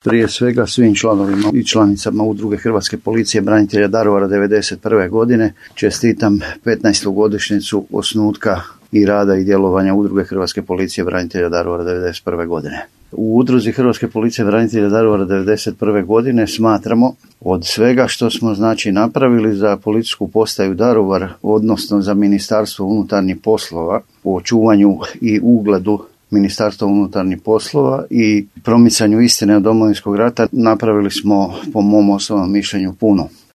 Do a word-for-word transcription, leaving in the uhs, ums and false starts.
Prije svega svim članovima i članicama Udruge Hrvatske policije branitelja Daruvara devedeset prve godine čestitam petnaestu godišnjicu osnutka i rada i djelovanja Udruge Hrvatske policije branitelja Daruvara devedeset prve godine. U Udruzi Hrvatske policije branitelja Daruvara devedeset prve godine smatramo od svega što smo znači napravili za policijsku postaju Daruvar, odnosno za Ministarstvo unutarnjih poslova u očuvanju i ugledu Ministarstva unutarnjih poslova i promicanju istine o Domovinskog rata, napravili smo po mom osobnom mišljenju puno.